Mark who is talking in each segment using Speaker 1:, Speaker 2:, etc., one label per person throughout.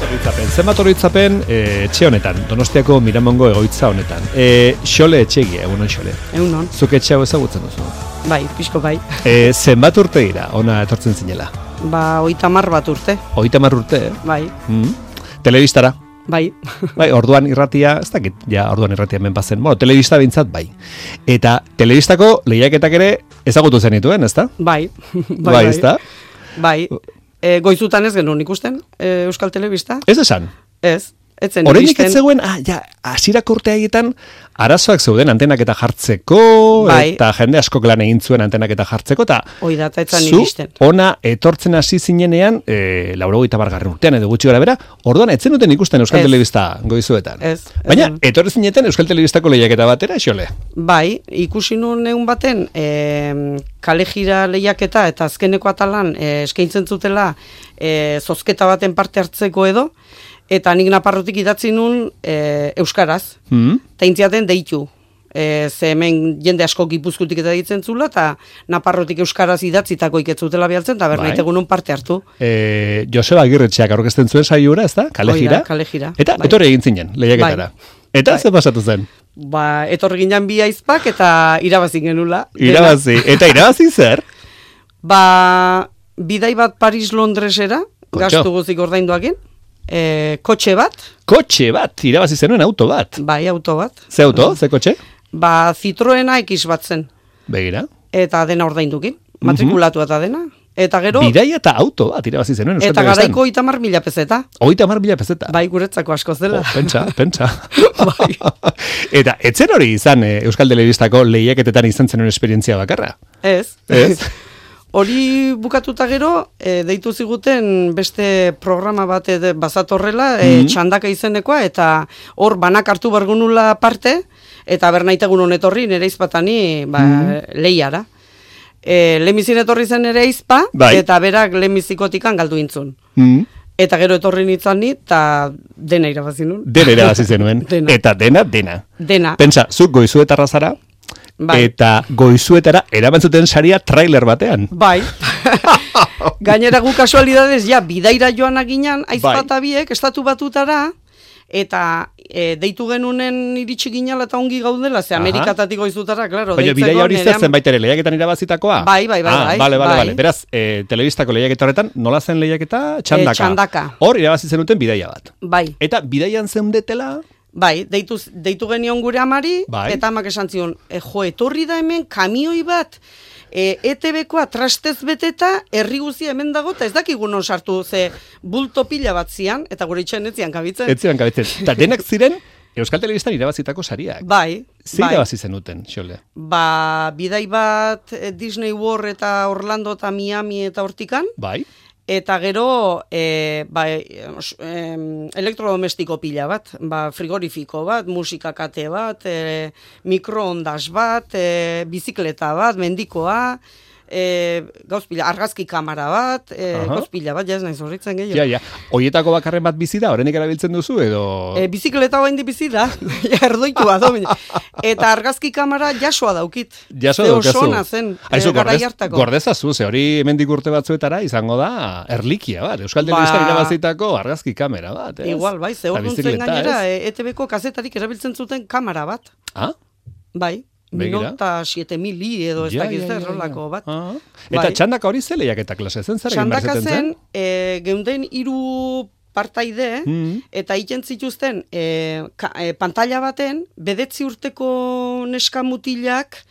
Speaker 1: Zenbat oroitzapen etxe honetan, Donostiako Miramongo egoitza honetan. Xole etxegia, egunon Xole.
Speaker 2: Egunon.
Speaker 1: Zuk etxe hau ezagutzen duzu?
Speaker 2: Bai, pixko bai.
Speaker 1: Zenbat urte dira, ona etortzen zinela?
Speaker 2: 30 bat urte.
Speaker 1: 30 urte,
Speaker 2: Bai.
Speaker 1: Telebistara?
Speaker 2: Bai.
Speaker 1: Bai, orduan irratia, ez dakit, ja, orduan irratia hemen bazen. Bueno, telebista bintzat, bai. Eta telebistako lehiaketak ere ezagutu zenituen, ezta?
Speaker 2: Bai.
Speaker 1: Bai, ezta?
Speaker 2: Bai. Goizutan ez genuen ikusten, Euskal Telebista.
Speaker 1: Ez esan?
Speaker 2: Ez. Etzen
Speaker 1: Oraindik ez zegoen, hasierako urte haietan arazoak zeuden antenak eta jartzeko,
Speaker 2: bai.
Speaker 1: Eta jende askok lan egin zuen antenak eta jartzeko, eta
Speaker 2: hoi da, eta etzan iristen.
Speaker 1: Ona etortzen hasi zinenean, 80. urtean edo gutxi gara bera, orduan etzen duten ikusten Euskal Telebista goizuetan. Baina, etorri zineten Euskal Telebistako lehiaketa batera, Xole?
Speaker 2: Bai, ikusi nuen egun baten, kalejira lehiaketa eta azkeneko atalan eskaintzen zutela zozketa baten parte hartzeko edo, eta nik Naparrotik idatzi nun euskaraz, eta intziaten deitu. Ze hemen jende asko Gipuzkoatik eta ditzen zula, eta Naparrotik euskaraz idatzitako iketzutela behartzen, eta bernaite egunon parte hartu.
Speaker 1: Joseba Agirretxeak aurkezten zuen saiura, ez da? Kalejira.
Speaker 2: Kalejira.
Speaker 1: Eta etorri egin zinen, lehiaketara. Eta ze pasatu zen?
Speaker 2: Etorri ginen bi aizpak, eta irabazi genula.
Speaker 1: Irabazi. Eta irabazi zer?
Speaker 2: Bidai bat Paris-Londresera, gastu guzik ordainduakin. Kotxe bat.
Speaker 1: Kotxe bat, irabazi zenuen auto bat.
Speaker 2: Bai, auto bat.
Speaker 1: Ze auto, ze kotxe?
Speaker 2: Citroena X bat zen.
Speaker 1: Begira.
Speaker 2: Eta dena ordaindukin, matrikulatu eta dena. Eta gero...
Speaker 1: Bidaia eta auto bat irabazi zenuen.
Speaker 2: Eta garaiko 30.000 peseta.
Speaker 1: 30.000 peseta?
Speaker 2: Bai, guretzako askoz dela.
Speaker 1: Pentsa. Bai. Eta etzen hori izan Euskal Telebistako lehiaketetan izan zenuen esperientzia bakarra?
Speaker 2: Ez. Hori bukatuta gero, deitu ziguten beste programa bat bazatorrela, txandaka izenekoa, eta hor banak hartu bargunula parte, eta bernaitegun honetorri nere izpatani lehiara. Lemizin etorri zen nere izpa, eta berak lemizikotikan galdu intzun. Eta gero etorri nintzen ni, eta dena irabazi nun.
Speaker 1: Dena irabazi zenuen. Eta dena.
Speaker 2: Dena.
Speaker 1: Pentsa, zuk goizuetarra zara, eta goizuetara erabantzuten saria trailer batean.
Speaker 2: Bai. Gainera gu kasualidadez, bidaira joan aginan, aizpata biek, estatu batutara, eta deitu genunen iritsi ginala eta ongi gaudela, ze Amerikatatik goizutara, klaro.
Speaker 1: Baina bidaia hori zen baitere lehiaketan irabazitakoa?
Speaker 2: Bai.
Speaker 1: Bale. Beraz, telebistako lehiaketa horretan, nola zen lehiaketa? Txandaka. Hor irabazi zenuten bidaia bat.
Speaker 2: Bai.
Speaker 1: Eta bidaian zeundetela...
Speaker 2: Bai, deitu genion gure amari, eta amak esan zion, etorri da hemen kamioi bat, ETB-koa trastez beteta, herri guzia hemen dago, eta ez dakigun non sartu, ze bulto pila bat zian, eta gure itxen etzian kabitzen.
Speaker 1: Eta denak ziren Euskal Telebistan irabazitako sariak.
Speaker 2: Bai.
Speaker 1: Ze irabazi zenuten, Xole?
Speaker 2: Bidai bat Disney World eta Orlando eta Miami eta hortikan.
Speaker 1: Bai.
Speaker 2: Eta gero elektrodomestiko pila bat, frigorifiko bat, musika kate bat, mikroondas bat, bizikleta bat, mendikoa, gauzpila, argazki kamara bat, gauzpila bat, ez nahi zorritzen gehiago.
Speaker 1: Ja. Oietako bakarren bat bizi da, horrenik erabiltzen duzu, edo...
Speaker 2: Bizikleta bain di bizi da, erdoitu bat, eta argazki kamara jasoa daukit.
Speaker 1: Jasoa daukazu.
Speaker 2: Osona zen, garai hartako.
Speaker 1: Gordezazu, ze hori hemendik urte batzuetara izango da erlikia bat, Euskal Telebistan irabazitako argazki kamera bat.
Speaker 2: Igual, bai, ze hor duntzen gainera, ETB-ko kazetarik erabiltzen zuten kamera bat. Bai. Minota 7.000 edo ez dakiz errolako bat.
Speaker 1: Eta txandaka hori ze lehiaketa klase zen?
Speaker 2: Txandaka zen, geunden 3 partaide, eta egiten zituzten pantalla baten, 9 urteko neska mutilak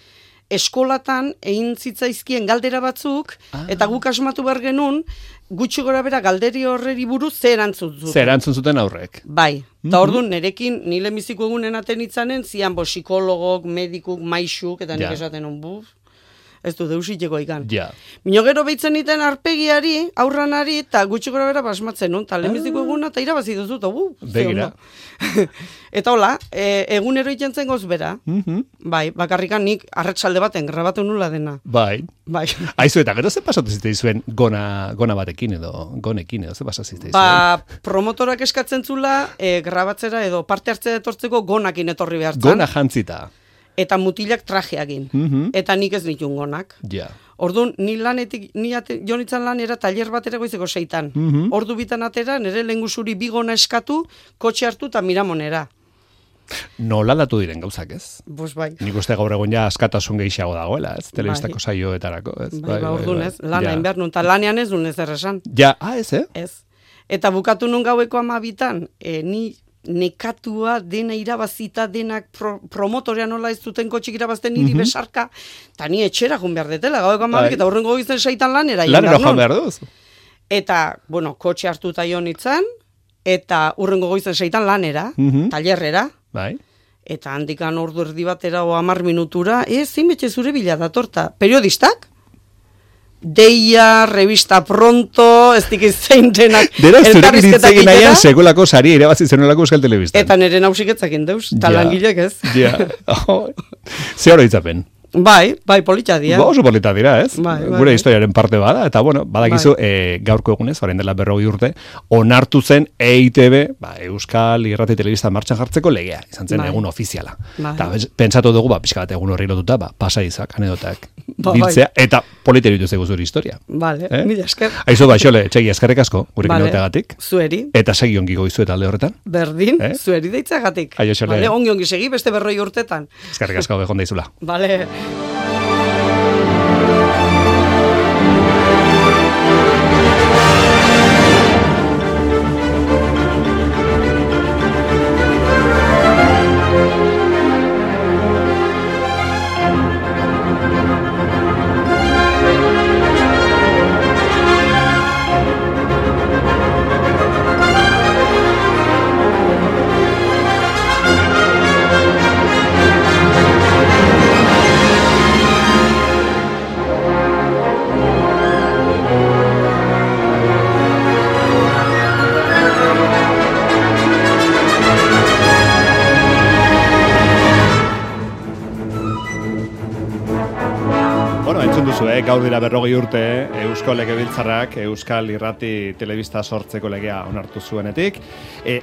Speaker 2: eskolatan egin zitzaizkien galdera batzuk, eta guk asmatu behar genuen, gutxi gora bera galderi horreri buruz ze erantzun zuten.
Speaker 1: Ze erantzun zuten aurrek.
Speaker 2: Bai. Eta orduan, nerekin, nile miziko egunen aten itzanen, zian psikologok, medikuk, maixuk, eta nik esaten hon, ez du deusiteko ikan. Mino gero behitzen iten arpegiari, aurranari, eta gutxi gora bera basmatzen hon, eta lemiziko eguna, eta irabazi duzut,
Speaker 1: begira.
Speaker 2: Eta hola, egunero iten zen goz bera, bai, bakarrikan nik arretsalde baten grabatu nula dena.
Speaker 1: Bai. Aizu, eta gero ze pasatu zite izuen gona batekin edo, gonekin edo, ze pasatu zite izuen?
Speaker 2: Promotorak eskatzen zula, grabatzera edo parte hartzea etortzeko gonakin etorri behartzen.
Speaker 1: Gona jantzita.
Speaker 2: eta mutilak trajeagin. Eta nik ez nitun gonak.
Speaker 1: Ja.
Speaker 2: Orduan, ni jonitzan lanera taller batera goizeko 6. Ordu bitan atera, nire lehengusuri bigona eskatu, kotxe hartu eta Miramonera.
Speaker 1: Nola aldatu diren gauzak, ez?
Speaker 2: Bos bai.
Speaker 1: Nik uste gaur egun ja askatasun gehiago dagoela, ez? Telebistako saioetarako, ez?
Speaker 2: Bai, orduan ez, lana inbehar nun, eta lanean ez duen ez erresan.
Speaker 1: Ja, ez,
Speaker 2: Ez. Eta bukatu nun gaueko 12, ni nekatua dena irabazita denak promotorea nola ez duten kotxik irabazten niri besarka, eta ni etxera joan behar detela, gaueko 12, eta horrengo goizen 6 lanera.
Speaker 1: Lanera joan behar duz.
Speaker 2: Eta, bueno, kotxe hartuta jo nintzen, eta urrengo goizen 6 lanera, tallerrera.
Speaker 1: Bai.
Speaker 2: Eta handikan ordu erdi batera o 10 minutura, zinbetxe zure bila datorta. Periodistak? Deia, revista pronto, ez dik zein denak.
Speaker 1: Dera, zurek iritzegin nahian sekulako sari irabazi zenolako Euskal Telebistan.
Speaker 2: Eta nire nausiketzakin deuz, talangilek ez.
Speaker 1: Ja, ze hori itzapen.
Speaker 2: Bai, polita dira.
Speaker 1: Oso polita dira, ez? Gure historiaren parte bada, eta bueno, badakizu, gaurko egunez, orain dela 40 urte, onartu zen EITB, Euskal Irrati Telebista martxan jartzeko legea, izan zen egun ofiziala. Eta pentsatu dugu, pixka bat egun horri lotuta, pasaizak, anedotak, biltzea, eta polita iritu zegu zure historia.
Speaker 2: Vale, mila esker.
Speaker 1: Aizu, Xole, txegi eskerrik asko, gurekin egoteagatik.
Speaker 2: Zueri.
Speaker 1: Eta segi ongi goizu eta alde horretan.
Speaker 2: Berdin, zueri deitzagatik.
Speaker 1: Aio, Xole.
Speaker 2: Ongi segi, beste 40 urtetan.
Speaker 1: Eskerrik asko, behon daizula.
Speaker 2: Vale. Gaur dira 40 urte, Eusko Legebiltzarrak Euskal Irrati Telebista sortzeko legea onartu zuenetik.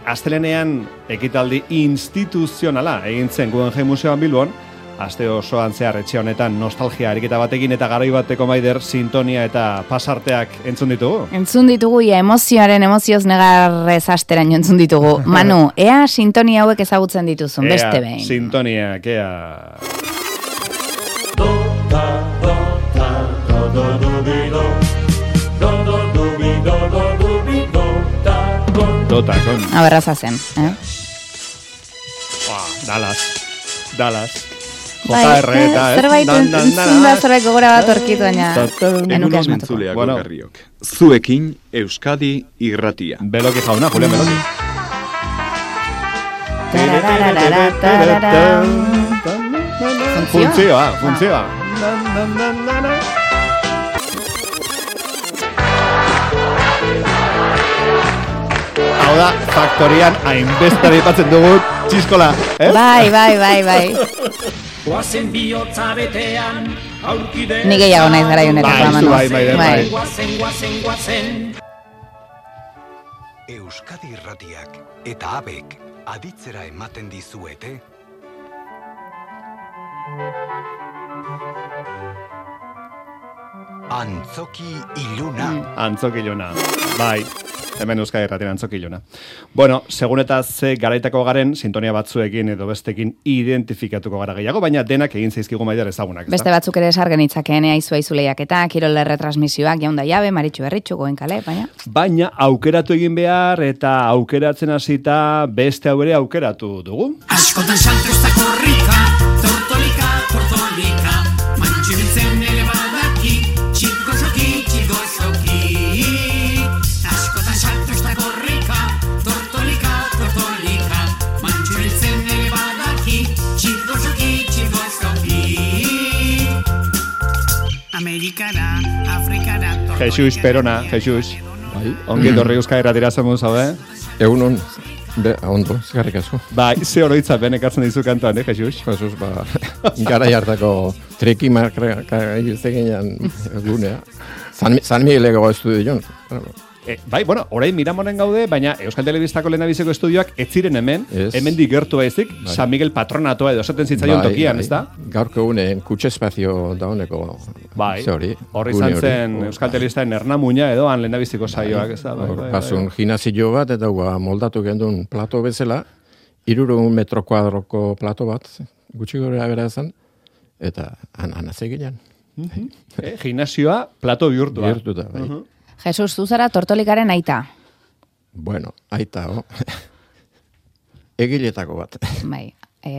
Speaker 2: Astelenean ekitaldi instituzionala egin zen Guggenheim Museoan Bilbon, aste osoan zehar etxe honetan nostalgia ariketa batekin eta garai bateko Maider sintonia eta pasarteak entzun ditugu. Entzun ditugu, emozioz negarrez asteraino entzun ditugu. Manu, ea sintonia hauek ezagutzen dituzun, beste behin. Sintoniak, ea... Aberraza zen, Dallas. JR eta, zerbait gogora bat orkitu baina enuke asmatuko.
Speaker 3: Zuekin Euskadi Irratia.
Speaker 1: Beloki jauna, Julian Beloki. Funtzioa. Hau da, faktorian hainbestari patzen dugu txiskola, eh? Bai. Ni gehiago naiz gara jonetako amanoz. Bai.
Speaker 3: Euskadi Irratiak eta abek aditzera ematen dizuete. Antzoki iluna. Bai. Hemen Euskadi Irratian Antzoki iluna. Bueno, segun eta ze garaitako garen, sintonia batzuekin edo bestekin identifikatuko gara gehiago, baina denak egin zaizkigu Maider ezagunak. Beste batzuk ere esargen itzakeen aizu lehiaketa, kirol retransmisioak, jaunda jabe, Maritxu Berritxu, Goen Kale, baina aukeratu egin behar eta aukeratzen hasita beste hau ere aukeratu dugu. Askotan salto ez da korrika, tortolika, Maritxu biltzen ere badaki, txiko soki. Jesus Perona, Jesus. Ongi dorri Euskadi Irratira zemuz, haude?
Speaker 4: Egunon, ondo, eskerrik asko.
Speaker 1: Bai, ze oroitzapen ekartzen dizu kantoan, Jesus?
Speaker 4: Jesus, gara jartako trekimak egizteginan gunea. San Migueleko estudio joan.
Speaker 3: Bai, bueno, orain Miramonen gaude, baina Euskal Telebistako lehendabiziko estudioak ez ziren hemendik gertu baizik, San Miguel Patronatoa edo esaten zitzaion tokian, ez da?
Speaker 4: Gaurko unen kutxespazio dauneko.
Speaker 3: Bai, horri izan zen Euskal Telebistaren Ernamuina edo han lehendabiziko saioak, ez da?
Speaker 4: Basun gimnasio bat eta moldatu gendun plato bezala, 300 metro kuadroko plato bat, gutxi gora bera ezan, eta anaz egilean.
Speaker 3: Gimnasioa plato bihurtua.
Speaker 4: Bihurtuta, bai.
Speaker 5: Jesus, zuzara Tortolikaren aita.
Speaker 4: Bueno, aita, egiletako bat.
Speaker 5: Bai,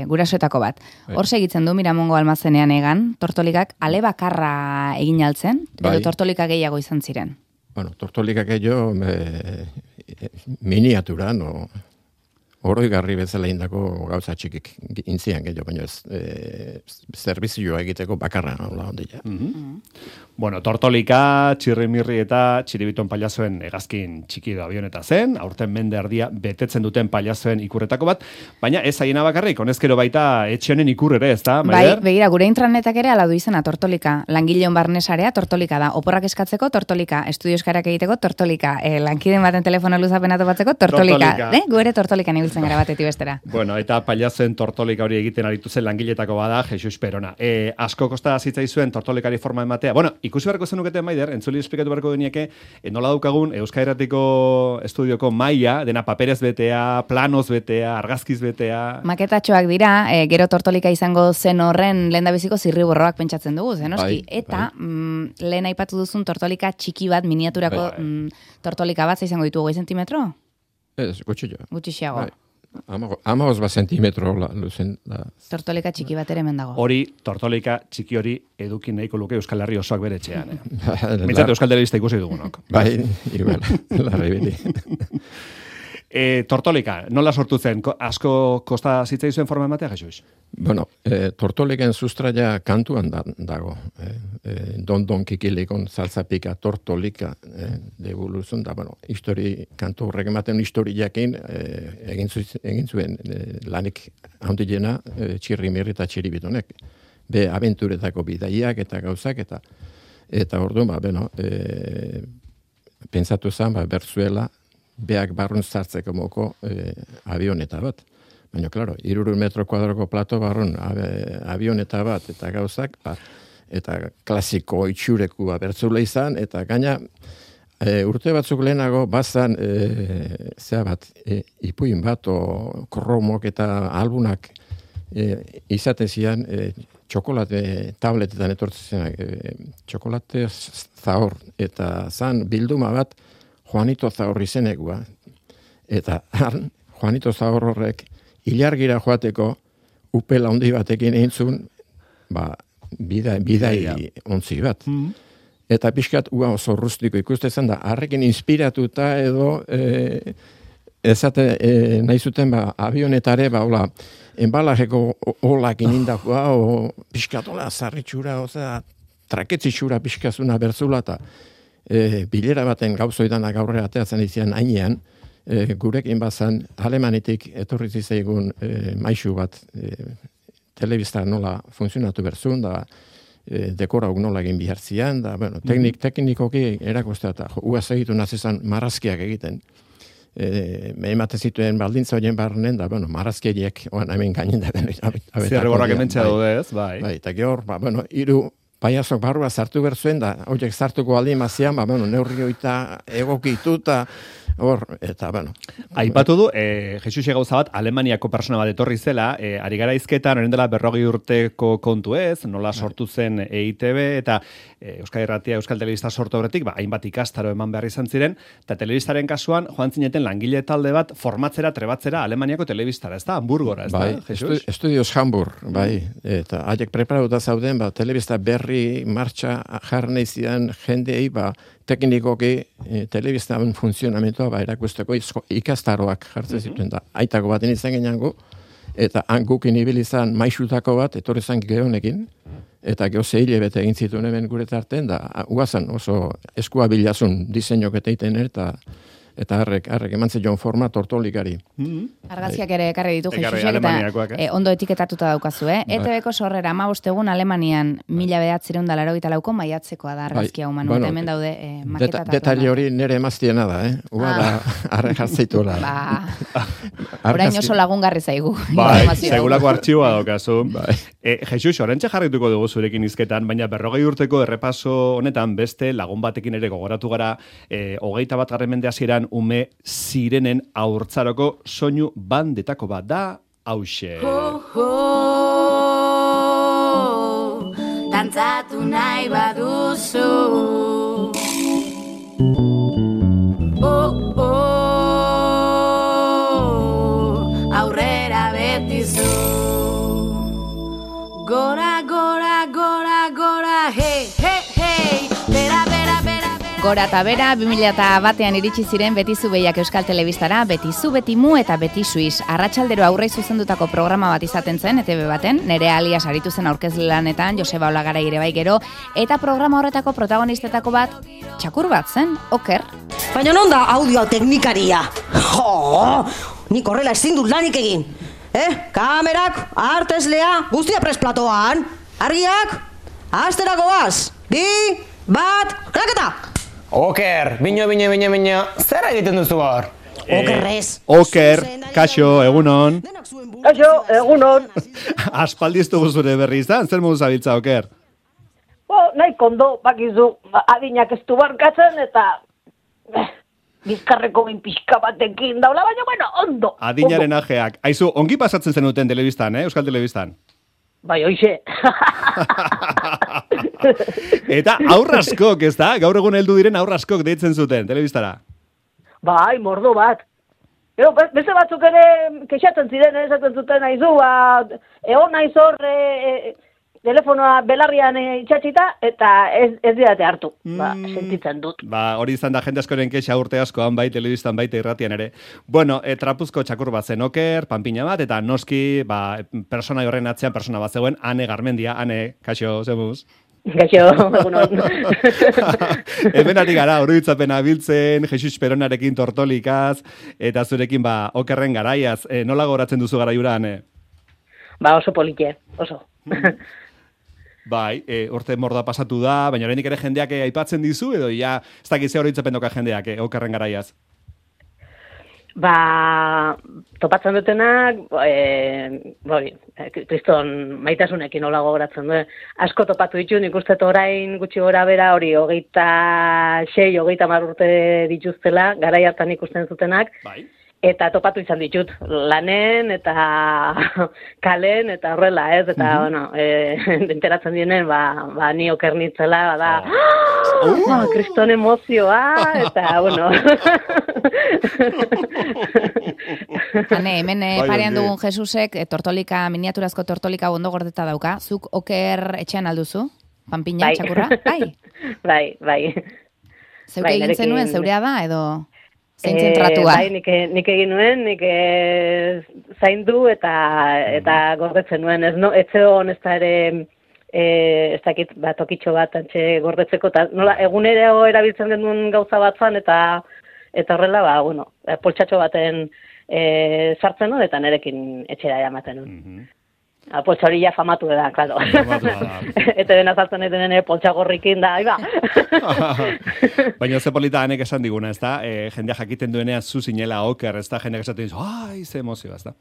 Speaker 5: gurasoetako bat. Hor segitzen du Miramongo almazenean egan, Tortolikak ale bakarra egin altzen, edo Tortolika gehiago izan ziren?
Speaker 4: Bueno, Tortolikak gehiago miniatura, no? Oroigarri bezala indako gauza txikik intzian gehiago, baina zerbizioa egiteko bakarra hola ondila.
Speaker 3: Bueno, Tortolika, Txirrimirri eta Txiribiton pailazoen hegazkin txiki da avioneta zen, aurten mende erdia betetzen duten pailazoen ikurretako bat, baina ez haiena bakarrik, honezkero baita etxe honen ikur ere, ez da, Maider?
Speaker 5: Bai, begira, gure intranetak ere aladu izena Tortolika, langileon barnesarea Tortolika da, oporrak eskatzeko Tortolika, estudio eskarak egiteko Tortolika, lankiden baten telefono luzapenatu batzeko Tortolika. Gu ere Tortolikan ibiltzen gara batetik bestera.
Speaker 3: Bueno, eta pailazoen Tortolika hori egiten aritu zen langiletako bada Jesus Perona. Asko kosta zitzaizuen Tortolikari forma ematea. Bueno, ikusi beharko zenukete, Maider, entzuli esplikatu beharko denieke, nola daukagun Euskal Herratiko estudioko maila, dena paperez betea, planos betea, argazkiz betea.
Speaker 5: Maketatxoak dira, gero Tortolika izango zen horren lehendabiziko zirriborroak pentsatzen dugu, zenoski. Eta lehen aipatu duzun Tortolika txiki bat, miniaturako Tortolika bat, izango ditugu 2 zentimetro?
Speaker 4: Ez, gutxillo.
Speaker 5: Gutxixiago.
Speaker 4: 15 zentimetro luzen da.
Speaker 5: Tortolika txiki bat ere hemen dago.
Speaker 3: Hori, Tortolika txiki hori edukin nahiko luke Euskal Herri osoak bere etxean. Mintzat Euskal Telebista ikusi dugunok.
Speaker 4: Bai, igual, larri beti.
Speaker 3: Tortolika, nola sortu zen? Asko kosta zitzaizuen forma ematea, Jesus?
Speaker 4: Bueno, Tortoliken sustraia kantuan dago. Don kikilikon salzapika Tortolika debuluzun da, bueno, kantu horrek ematen historiakin egin zuen lanik handiena Txirrimirri eta Txiribitonek. Be abenturetako bidaiak eta gauzak eta orduan, pentsatu zen, berzuela, beak barrun zartzeko moko avioneta bat. Baina, klaro, 300 metro kuadroko plato barrun avioneta bat eta gauzak, eta klasiko itxurekua bertzula izan, eta gaina urte batzuk lehenago bazan ipuin bat o kromok eta albunak izaten zian txokolate tabletetan etortzen txokolate zahor, eta zan bilduma bat Juanito Zahor izenekua. Eta Juanito Zahor horrek ilargira joateko upela handi batekin eintzun, bidai ontzi bat. Eta pixkat oso rustiko ikustezen da, harrekin inspiratuta edo nahi zuten avionetare, enbalajeko olakin indakua, pixkat ola zarritxura, traketzitxura pixkazuna bertzula, eta bilera baten gauzoidanak aurrera ateatzen izan hainean, gurekin bazan Alemanitik etorri zizaigun maixu bat telebista nola funtzionatu berzun, da dekorauk nola egin bihartzian, da teknikoki erakostea, eta uaz egitu nazizan marrazkiak egiten. Emate zituen baldintza horien barrenen, da, marrazkiak hemen gainen da.
Speaker 3: Zerreborrak ementzea daude ez, bai.
Speaker 4: Bai, eta gehor, hiru paiazok barrua sartu berzuen da, horiek sartuko aldin mazian, neurri hoita egokituta, eta,
Speaker 3: Aipatu du, Jesus gauza bat, Alemaniako persona bat etorri zela, ari gara izketan, orain dela 40 urteko kontu ez, nola sortu zen EITB, eta Euskal Irratia, Euskal Telebista sortu horretik, hainbat ikastaro eman behar izan ziren, eta telebistaren kasuan, joan zineten langile talde bat, formatzera, trebatzera, Alemaniako telebistara, ez da, Hamburgora, ez da, Jesus?
Speaker 4: Estudios Hamburg, eta haiek preparatuta zauden, telebista berri martxa jarneizian jendei, teknikoki telebistan funtzionamentua erakusteko ikastaroak jartzen zituen da. Aitako baten izan gehiago, eta hangukin ibilizan maixutako bat, etorri zan gehonekin, eta geho zehile bete egin zituen hemen gure tarten, da, uazan oso eskua bilazun diseinok eta iten, eta eta harrek eman zion forma tortolikari.
Speaker 5: Argazkiak ere ekarri ditu Jesusek, eta ondo etiketatuta daukazu, ETV-ko sorrera 15 egun Alemanian 1984ko maiatzekoa da argazkia human, hemen daude maketatuak.
Speaker 4: Detaile hori nire emaztiena da, Uga da arre jartzeituela.
Speaker 5: Orain oso lagungarri zaigu.
Speaker 3: Segulako artxiboa daukazu. Jesus, orentxe jarrituko dugu zurekin izketan, baina 40 urteko errepaso honetan beste lagun batekin ere gogoratu gara 21. mende hasieran ume zirenen haurtzaroko soinu bandetako bat da hauxe.
Speaker 6: Dantzatu nahi baduzu aurrera betizu gora, gora, gora, gora, hey, hey, hey, bera, bera, bera, bera.
Speaker 5: Gora eta bera, 2001an iritsi ziren Betizu Behiak Euskal Telebistara, Betizu, Betimu eta Beti Suiz. Arratsalldero aurrei zuzendutako programa bat izaten zen, ETV baten, Nerea Alias aritu zen aurkezle lanetan, Joseba Olagarai ere bai gero, eta programa horretako protagonistetako bat, txakur bat zen, Oker.
Speaker 7: Baina non da audio teknikaria? Jo, nik horrela ezin dut lanik egin. Kamerak, arteslea, guztia presplatoan. Argiak, asteragoaz. 2, 1, kraketa!
Speaker 8: Oker, bino, zer egiten duzu hor?
Speaker 7: Okerrez.
Speaker 3: Oker, kaixo, egunon.
Speaker 9: Kaixo, egunon.
Speaker 3: Aspaldiztu guzure berri izan, zer modu zabiltza, Oker?
Speaker 9: Nahi kondo, bakizu, adinak ez du barkatzen, eta bizkarreko pixka batekin daula, baina, bueno, ondo.
Speaker 3: Adinaren ajeak. Aizu, ongi pasatzen zenuten telebistan, Euskal Telebistan?
Speaker 9: Bai, hoxe.
Speaker 3: Eta aurraskok, ez da? Gaur egun heldu diren aurraskok deitzen zuten, telebistara?
Speaker 9: Bai, mordo bat. Gero, beste batzuk ere kexatzen ziren, esaten zuten aizu, egon naiz hor telefonoa belarrian itxatxita, eta ez didate hartu, sentitzen dut.
Speaker 3: Hori izan da jende askoren kexa urte askoan, bai telebistan, baita irratian ere. Bueno, trapuzko txakur bat zen Oker, panpina bat, eta noski, persona horren atzean persona bat zegoen, Ane Garmendia, Ane, kaixo, zemuz?
Speaker 9: Kaixo, egunon.
Speaker 3: Hemenatik gara, oroitzapena biltzen, Jesus Peronarekin tortolikaz, eta zurekin, Okerren garaiaz. Nola goratzen duzu garaiura, Ane?
Speaker 9: Oso polite, oso.
Speaker 3: Bai, urte morda pasatu da, baina oraindik ere jendeak aipatzen dizu, edo ja, ez dakiz oroitzapen doka jendeak, Okerren garaiaz?
Speaker 9: Topatzen dutenak, kriston maitasunekin hola gogoratzen du. Asko topatu ditu, nik uste orain gutxi gora bera hori 26, 30 urte dituztela, garai hartan ikusten zutenak. Bai. Eta topatu izan ditut, lanen eta kalen eta horrela, ez? Eta, enteratzen dienen, ni Oker nintzela, kriston emozioa, eta, bueno.
Speaker 5: Hane, hemen parean dugun Jesusek, miniaturazko tortolika ondo gordeta dauka, zuk Oker etxean alduzu? Panpina, txakurra?
Speaker 9: Bai.
Speaker 5: Zeuke egin zenuen, zeurea da, edo... Zein zentratua?
Speaker 9: Bai, nik egin nuen, nik zaindu eta gordetzen nuen. Ez zegoen ez da ere, ez dakit, tokitxo bat antxe gordetzeko, eta nola, egunero erabiltzen genuen gauza bat zan, eta horrela, poltsatxo baten sartzen nuen, eta nerekin etxera eramaten nuen. Poltsa hori ja famatu da, klaro. Eta dena zartzen egiten poltsa gorrikin da, iba.
Speaker 3: Baina ze polita hanek esan diguna, ez da? Jendea jakiten duenea zu zinela Oker, ez da? Jendeak esaten dizu, ze emozio, ez da?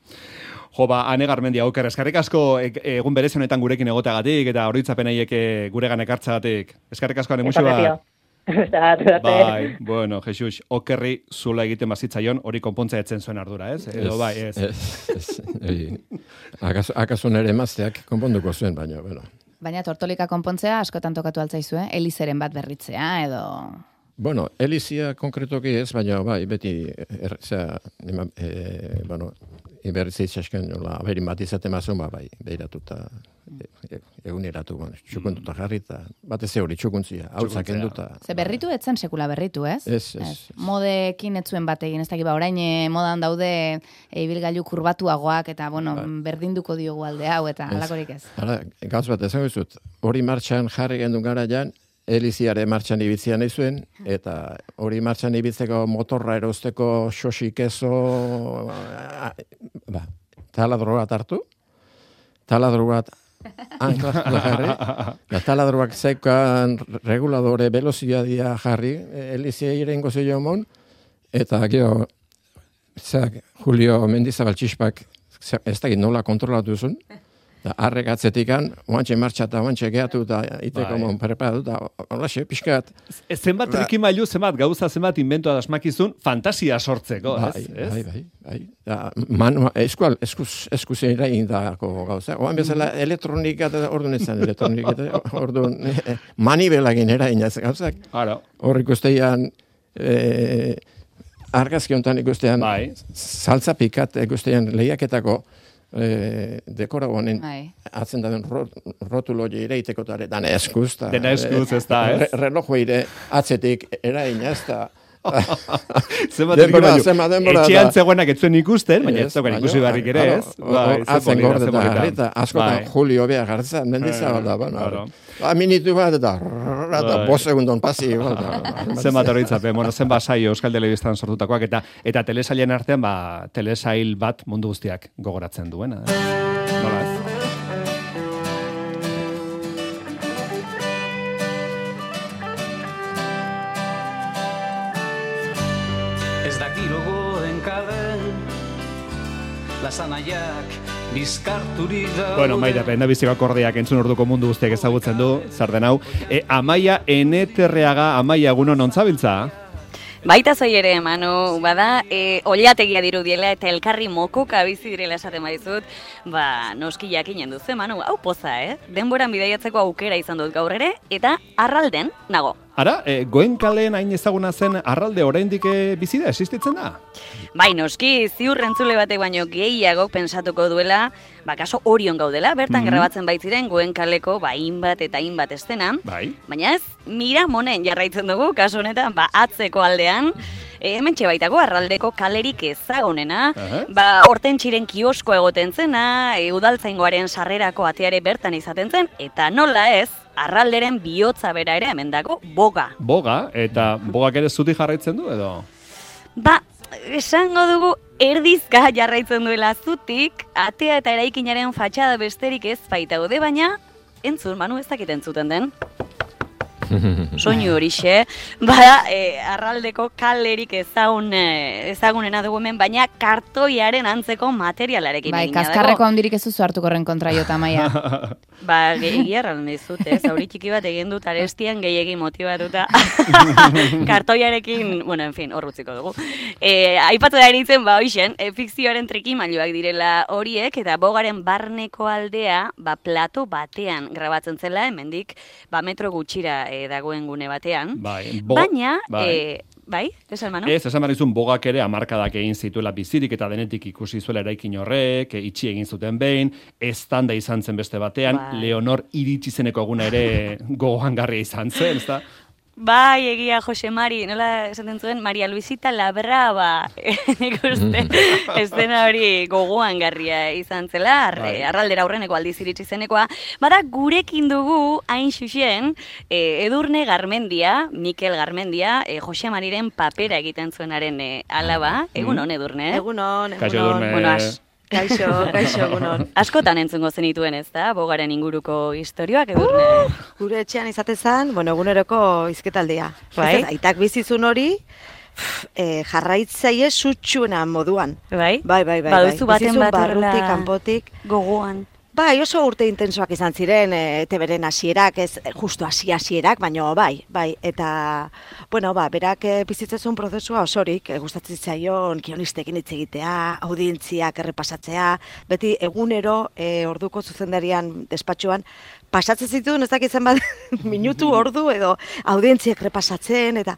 Speaker 3: Jo, Ane Garmendia, Oker, eskarrik asko egun berezi honetan gurekin egoteagatik, eta oroitzapenaiek guregan ekartzagatik. Eskarrik asko ane musu bat. Bai, bueno, Jesus, Okerri zula egiten bazitzaion, hori konpontza etzen zuen ardura, ez? Edo bai, ez.
Speaker 4: Akaso nere emazteak konponduko zuen, baina, bueno.
Speaker 5: Baina tortolika konpontzea askotan tokatu altzaizu, Elizeren bat berritzea, edo...
Speaker 4: Bueno, Elizia konkretoki ez, baina bai, beti, berritzea itxasken, aberin bat izaten mazun, bai, behiratuta, eguneratu, txukuntuta jarri, eta batez hori txukuntzia, hautzak enduta.
Speaker 5: Ze berritu etzen sekula berritu, ez?
Speaker 4: Ez.
Speaker 5: Modekin etzuen bat egin, ez dakit, orain modan daude ibilgailu kurbatuagoak, eta, berdinduko diogu alde hau, eta halakorik ez.
Speaker 4: Gauz bat, esan guztut, hori martxan jarri gendun gara jan, Eliziare martxan ibitzia nahi zuen, eta hori martxan ibitzeko motorra erosteko xosik ezo, taladro bat hartu, taladro bat anklaztua jarri, eta taladroak zeukan reguladore veloziadia jarri, Elizia irengo zeio mon, eta gero, Julio Mendizabal txispak, ez dakit nola kontrolatu zuen, arrek atzetikan, oantxe martxa eta oantxe gehatu eta iteko mon preparatu eta olaxe, pixkat.
Speaker 3: Zenbat trikimailu, zenbat gauza, zenbat inventoa dasmakizun, fantasia sortzeko, ez?
Speaker 4: Bai. Eskuzera indako gauza. Oan bezala elektronika eta orduan izan elektronika eta orduan manibelagin erainaz gauzak. Hor ikustean argazki honetan ikustean saltza pikat ikustean lehiaketako dekora honen atzen da rotulo ere itekotare dana eskuz.
Speaker 3: Dena eskuz ez da, ez?
Speaker 4: Relojo ere atzetik eraina ez da.
Speaker 3: Denbora. Etxean zegoenak etzuen ikusten, baina ez daukan ikusi barrik ere, ez?
Speaker 4: Atzen gorde da, harrita, askotan Julio Bea gartzen, Mendizabal da, minitu bat eta 5 segundon pasi.
Speaker 3: Zenbat horretzapen, zenbat saio Euskal Telebistan sortutakoak, eta telesailen artean, telesail bat mundu guztiak gogoratzen duena. Nola ez?
Speaker 10: Ez dakiro goen kalen, lasanaiak bizkarturik da.
Speaker 3: Bueno, Maida, penda biziko akordeak entzun orduko mundu guztiak ezagutzen du, zer den hau. Amaia Eneterreaga, Amaia, egunon ontzabiltza?
Speaker 11: Baita zoi ere, Manu, bada, oliategia dirudiela eta elkarri mokoka bizi direla esaten baizut, noski jakinen duzu, Manu, hau poza, denboran bidaiatzeko aukera izan dut gaur ere, eta arralden nago.
Speaker 3: Ara, Goenkaleen hain ezaguna zen arralde oraindik bizi da, existitzen da?
Speaker 11: Bai, noski, ziur entzule batek baino gehiagok pensatuko duela, kaso Orion gaudela, bertan grabatzen baitziren Goenkaleko hainbat eta hainbat estena, baina ez, Miramonen jarraitzen dugu, kaso honetan, atzeko aldean, hementxe baitako arraldeko kalerik ezagunena, Hortentxiren kiosko egoten zena, udaltzaingoaren sarrerako ateare bertan izaten zen, eta nola ez, arralderen bihotza bera ere hemen dago, Boga.
Speaker 3: Boga, eta Bogak ere zuti jarraitzen du, edo?
Speaker 11: Esango dugu erdizka jarraitzen duela zutik, atea eta eraikinaren fatxada besterik ez baitaude, baina entzun, Manu, ez dakit entzuten den. Soinu horixe, arraldeko kalerik ezagunena dugu hemen, baina kartoiaren antzeko materialarekin egina dago.
Speaker 5: Kaskarreko handirik ez duzu hartuko horren kontra jota, Maia.
Speaker 11: Egia erran dizut, zauri txiki bat egin dut arestian gehiegi motibatuta kartoiarekin, bueno, en fin, horrutziko dugu. Aipatu da eritzen, hoixen, fikzioaren trikimailuak direla horiek, eta Bogaren barneko aldea, plato batean grabatzen zela, hemendik, metro gutxira dagoen gune batean. Baina, esan Manu?
Speaker 3: Esan barizun Bogak ere hamarkadak egin zituela bizirik eta denetik ikusi zuela eraikin horrek, itxi egin zuten behin, eztanda izan zen beste batean, Leonor iritsi zeneko eguna ere gogoangarria izan zen, ez da?
Speaker 11: Egia Jose Mari, nola esaten zuen, Maria Luisita la Brava, nik uste, estena hori gogoan garria izan zela, arraldera aurreneko aldiz iritsi zenekoa, gurekin dugu, hain xuxen, Edurne Garmendia, Mikel Garmendia, Jose Mariren papera egiten zuenaren alaba, egunon Edurne?
Speaker 12: Egunon.
Speaker 11: Bueno,
Speaker 12: Kaixo, egunon.
Speaker 11: Askotan entzungo zenituen ez da, Bogaren inguruko historioak, Edurne?
Speaker 12: Gure etxean izatezan, eguneroko izketaldia. Aitak bizizun hori, jarraitzaile sutsuena moduan.
Speaker 11: Bai?
Speaker 12: Baduzu
Speaker 11: baten bat
Speaker 12: barrutik, kanpotik.
Speaker 11: Gogoan.
Speaker 12: Oso urte intensoak izan ziren, teberen hasierak, ez justu hasierak, baina bai. Eta, berak bizitzezun prozesua osorik, gustatzen zaion kionistekin hitz egitea, audientziak errepasatzea, beti egunero orduko zuzendarian despatxuan, pasatzen zituen, ez dakitzen bat, minutu ordu edo audientziak repasatzen, eta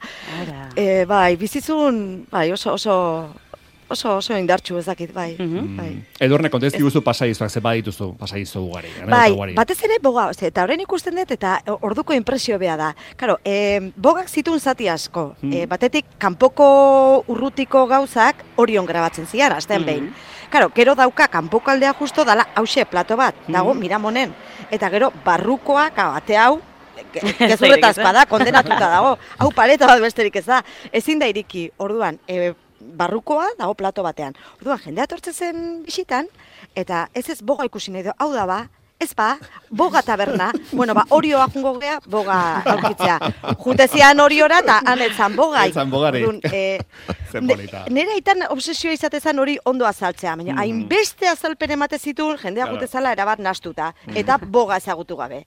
Speaker 12: bizitzun, oso indartxu ez dakit, bai.
Speaker 3: Edurne, kontez diguzu pasaizuak, ze badituzu pasaizu ugari.
Speaker 12: Batez ere Boga, eta horrein ikusten dut, eta orduko impresio beha da. Karo, Bogak zituen zati asko, batetik kanpoko urrutiko gauzak Orion grabatzen zian, azten behin. Karo, gero dauka kanpoko aldea justo dala hause plato bat, dago Miramonen. Eta gero barrukoak, ate hau, gezurretazkoa da, kondenatuta dago. Hau paleta bat besterik ez da. Ezin da iriki, orduan, barrukoa dago plato batean. Orduan, jendea tortzen zen bisitan, eta ez boga ikusi nahi du, hau da ba, ez ba, boga taberna, bueno, ba, orioa jungo gea, boga aukitzea. Juntezian oriora, eta anetzan boga.
Speaker 3: Etzan bogari.
Speaker 12: Nera itan obsesioa izatezan hori ondo azaltzea, baina hainbeste azalpen emate zituen jendea gutezala erabat nastuta, eta boga ezagutu gabe.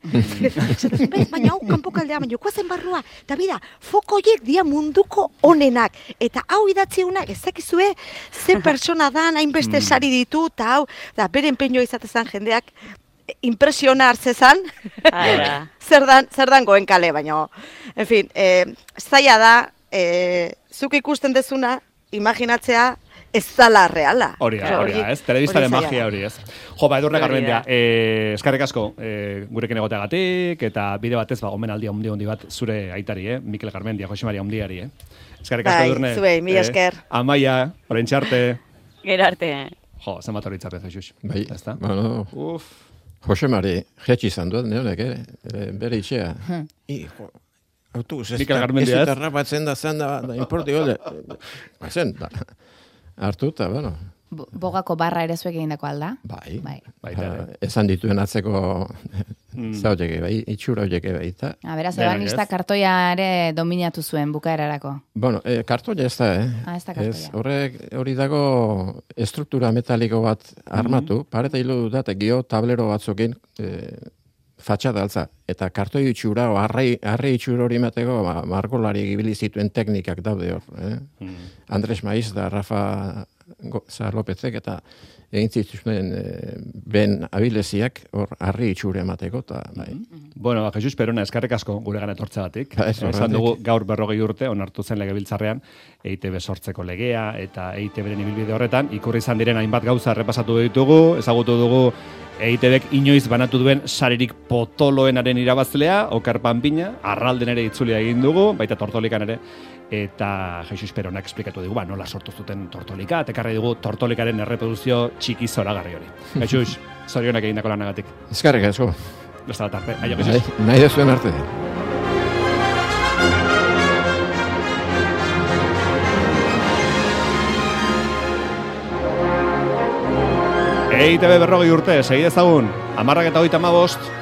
Speaker 12: Baina hau kanpokaldea, baina koazen barrua, eta bida, fokoiek dia munduko onenak, eta hau idatziunak ezakizue ze persona dan, hainbeste sari ditu, eta hau, bere empeñoa izatezan jendeak, impresiona hartzezan, zer dan goen kale, baina, en fin, zaila da, zuk ikusten dezuna, imaginatzea, ez zala reala.
Speaker 3: Hori ez, telebistaren magia hori ez. Jo, Edurne Garmendia, eskarrik asko gurekin egoteagatik, eta bide batez, omenaldia handi bat zure aitari, Mikel Garmendia, Jose Maria Ondiari, eskarrik asko Edurne.
Speaker 12: Zuei, mila esker.
Speaker 3: Amaia, orain txarte.
Speaker 11: Gero arte.
Speaker 3: Jo, zenbat hori txarrez, Jesus.
Speaker 4: Bai, bueno, Jose Mari, jetxi izan duet, neonek, bere itxea. Autobus, ez dut errapatzen da zen da importi gode. Zen, hartu eta, bueno.
Speaker 5: Bogako barra ere zuek egindako alda?
Speaker 4: Bai. Esan dituen atzeko zauteke, bai, itxura horieke bai.
Speaker 5: Beraz, ebanista kartoia ere dominatu zuen bukaerarako.
Speaker 4: Bueno, kartoia ez da,
Speaker 5: ez da kartoia.
Speaker 4: Hori dago estruktura metaliko bat armatu, pareta hilu dut, gio tablero batzukin fatxada altza. Eta kartoi itxura, arre itxura hori mateko, margolari ibili zituen teknikak daude hor. Andres Maiz da Rafa Lopezek eta egin zituzten ben abileziak hor arri itxure emateko.
Speaker 3: Bueno, Jesus Perona, eskarrik asko gure gana etortzeagatik. Esan dugu gaur 40 urte, onartu zen legebiltzarrean, EITB sortzeko legea eta EITB-ren ibilbide horretan, ikurri izan diren hainbat gauza errepasatu ditugu, ezagutu dugu EITB-ek inoiz banatu duen saririk potoloenaren irabazlea, Okar Panpina, Arralden ere itzulia egin dugu, baita Tortolikan ere, eta Jesus Peronak esplikatu dugu, nola sortu zuten Tortolika, tekarri dugu Tortolikaren erreproduzio txiki zoragarri hori. Jesus, zorionak egindako lanagatik.
Speaker 4: Eskarrik asko.
Speaker 3: Besta bat arte. Aio, Jesus.
Speaker 4: Nahi dezuen arte.
Speaker 3: EITB 40 urte, segi dezagun, 10:35.